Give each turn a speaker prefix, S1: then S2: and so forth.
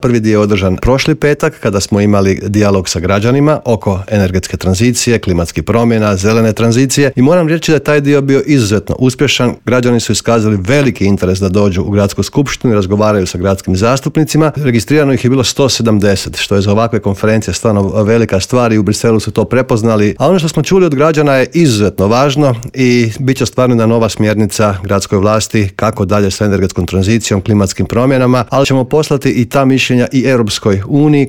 S1: Prvi dio je održan prošli petak kada smo imali dijalog sa građanima oko energetske tranzicije, klimatskih promjena, zelene tranzicije i moram reći da je taj dio bio izuzetno uspješan. Građani su iskazali veliki interes da dođu u gradsku skupštinu i razgovaraju sa gradskim zastupnicima. Registrirano ih je bilo 170, što je za ovakve konferencije stvarno velika stvar i u Briselu su to prepoznali. A ono što smo čuli od građana je izuzetno važno i bit će stvarno jedna nova smjernica gradskoj vlasti kako dalje sa energetskom tranzicijom, klimatskim promjenama, ali ćemo poslati i ta mišljenja i Europskoj uniji